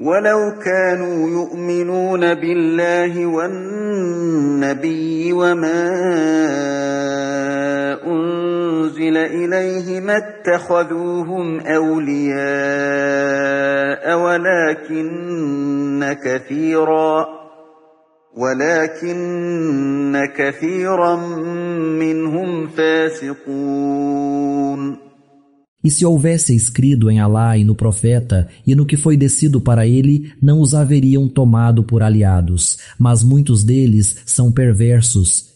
ولو كانوا يؤمنون بالله والنبي وما أنزل إليه ما اتخذوهم أولياء ولكن كثيرا منهم فاسقون. E se houvesse escrito em Alá e no profeta e no que foi descido para ele, não os haveriam tomado por aliados, mas muitos deles são perversos.